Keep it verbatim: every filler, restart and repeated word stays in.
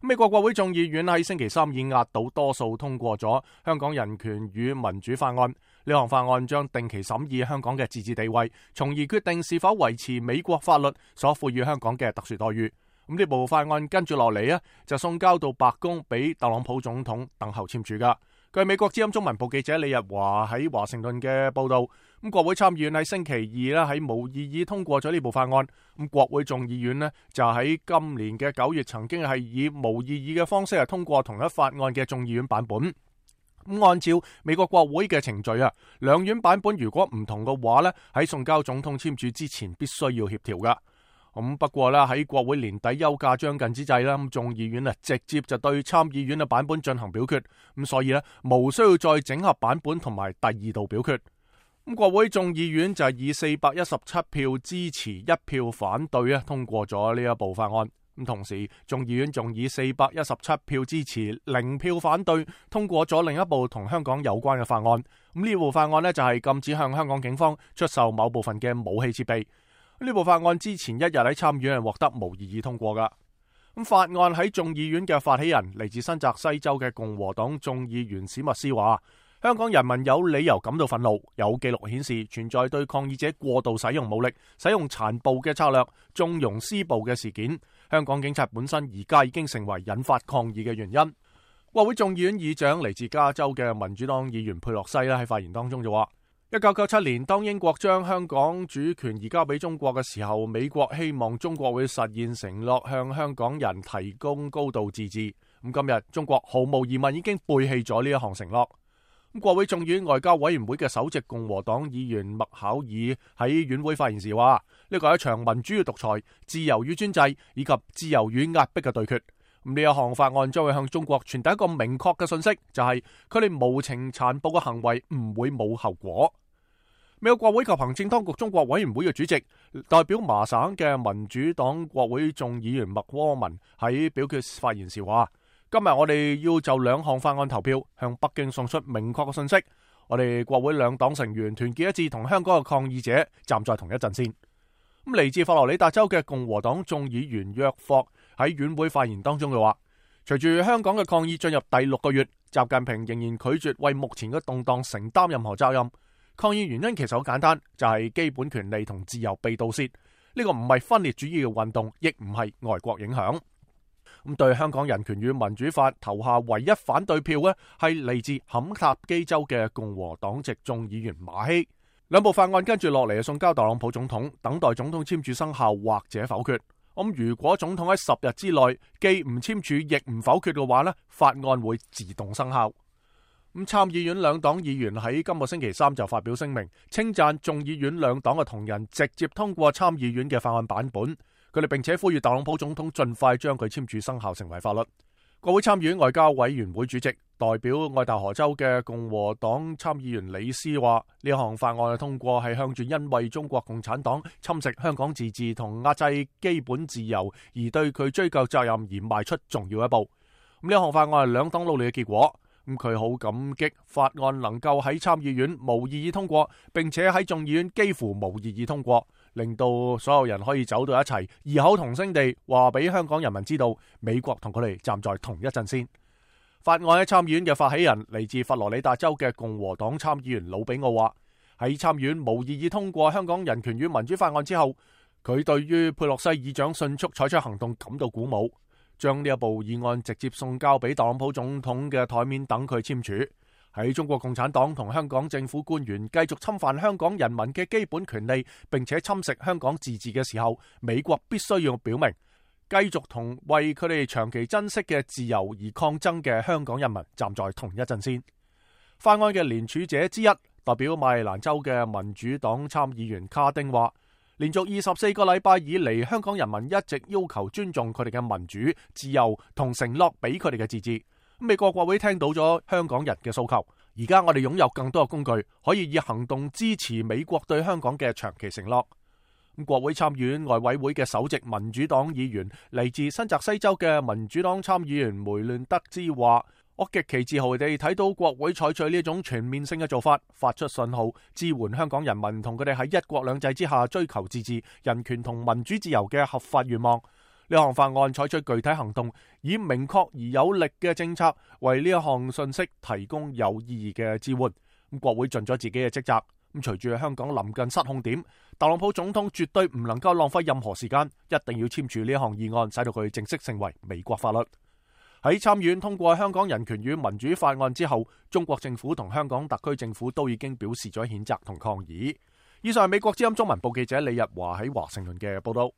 美國國會眾議院喺星期三以壓倒多數通過咗香港人權與民主法案。呢項法案將定期審議香港嘅自治地位，從而決定是否維持美國法律所賦予香港嘅特殊待遇。咁呢部法案跟住落嚟啊，就送交到白宮俾特朗普總統等候簽署噶。據美國之音中文部記者李日華喺華盛頓嘅報道，咁國會參議院喺星期二咧喺無異議通過咗呢部法案。咁國會眾議院咧就喺今年嘅九月曾經係以無異議嘅方式係通過同一法案嘅眾議院版本。咁按照美國國會嘅程序啊，兩院版本如果唔同嘅話咧，喺送交總統簽署之前必須要協調噶。咁不過咧喺國會年底休假將近之際啦，咁眾議院啊直接就對參議院嘅版本進行表決，咁所以咧無需要再整合版本同埋第二度表決。咁國會眾議院就係以四百一十七票支持一票反對啊通過咗呢一部法案。咁同時眾議院仲以四百一十七票支持零票反對通過咗另一部同香港有關嘅法案。咁呢部法案呢，就係禁止向香港警方出售某部分嘅武器設備。呢部法案之前一日喺參議院係獲得無異議通過噶。咁法案喺眾議院嘅發起人嚟自新澤西州嘅共和黨眾議員史密斯話，香港人民有理由感到憤怒，有記錄顯示存在對抗議者過度使用武力、使用殘暴嘅策略、縱容施暴嘅事件。香港警察本身而家已經成為引發抗議嘅原因。國會眾議院議長嚟自加州嘅民主黨議員佩洛西咧喺發言當中就話，一九九七年當英國將香港主權移交俾中國嘅時候，美國希望中國會實現承諾，向香港人提供高度自治。咁今日中國毫無疑問已經背棄咗呢一項承諾。咁國會眾議院外交委員會嘅首席共和黨議員麥考爾喺院會發言時話，呢個係一場民主與獨裁、自由與專制以及自由與壓迫嘅對決。咁呢一項法案將會向中國傳遞一個明確嘅信息，就係佢哋無情殘暴嘅行為唔會冇後果。美國國會及行政當局中國委員會嘅主席、代表麻省嘅民主黨國會眾議員麥柯文喺表決發言時話，今日我哋要就兩項法案投票，向北京送出明確嘅信息。我哋國會兩黨成員團結一致，同香港嘅抗議者站在同一陣線。咁嚟自佛羅里達州嘅共和黨眾議員約霍喺院會發言當中嘅話，隨住香港嘅抗議進入第六個月，習近平仍然拒絕為目前嘅動盪承擔任何責任。抗議原因其實好簡單，就係基本權利同自由被盜竊。呢個唔係分裂主義嘅運動，亦唔係外國影響。咁對香港人權與民主法投下唯一反對票呢，係嚟自肯塔基州嘅共和黨籍眾議員馬希。兩部法案跟住落嚟送交特朗普總統，等待總統簽署生效或者否決。咁如果總統喺十日之內既唔簽署亦唔否決嘅話呢，法案會自動生效。咁參議院兩黨議員喺今個星期三就發表聲明，稱讚眾議院兩黨嘅同仁直接通過參議院嘅法案版本。佢哋並且呼籲特朗普總統盡快將佢簽署生效成為法律。國會參議院外交委員會主席、代表愛達荷州嘅共和黨參議員李斯話，呢項法案嘅通過係向住因為中國共產黨侵蝕香港自治同壓制基本自由而對佢追究責任而邁出重要一步。咁呢項法案係兩黨努力嘅結果。咁佢好感激法案能夠喺參議院無異議通過，並且喺眾議院幾乎無異議通過，令到所有人可以走到一齊，異口同聲地話俾香港人民知道，美國同佢哋站在同一陣線。法案喺參議院嘅發起人嚟自佛羅里達州嘅共和黨參議員魯比奧話，喺參議院無異議通過香港人權與民主法案之後，佢對於佩洛西議長迅速採取行動感到鼓舞。將呢一部議案直接送交俾特朗普總統嘅台面等佢簽署。喺中國共產黨同香港政府官員繼續侵犯香港人民嘅基本權利，並且侵蝕香港自治嘅時候，美國必須要表明，繼續同為佢哋長期珍惜嘅自由而抗爭嘅香港人民站在同一陣線。法案嘅聯署者之一，代表馬里蘭州嘅民主黨參議員卡丁話，連續二十四個禮拜以嚟，香港人民一直要求尊重佢哋嘅民主、自由同承諾俾佢哋嘅自治。美國國會聽到咗香港人嘅訴求，而家我哋擁有更多嘅工具，可以以行動支持美國對香港嘅長期承諾。國會參議院外委會嘅首席民主黨議員嚟自新澤西州嘅民主黨參議員梅亂德茲話，我極其自豪地睇到國會採取呢種全面性嘅做法，發出信號，支援香港人民同佢哋喺一國兩制之下追求自治、人權同民主自由嘅合法願望。呢項法案採取具體行動，以明確而有力嘅政策為呢一項信息提供有意義嘅支援。咁國會盡咗自己嘅職責。咁隨住香港臨近失控點，特朗普總統絕對唔能夠浪費任何時間，一定要簽署呢一項議案，使到佢正式成為美國法律。喺參議院通過香港人權與民主法案之後，中國政府同香港特區政府都已經表示咗譴責同抗議。以上係美國之音中文部記者李日華喺華盛頓嘅報道。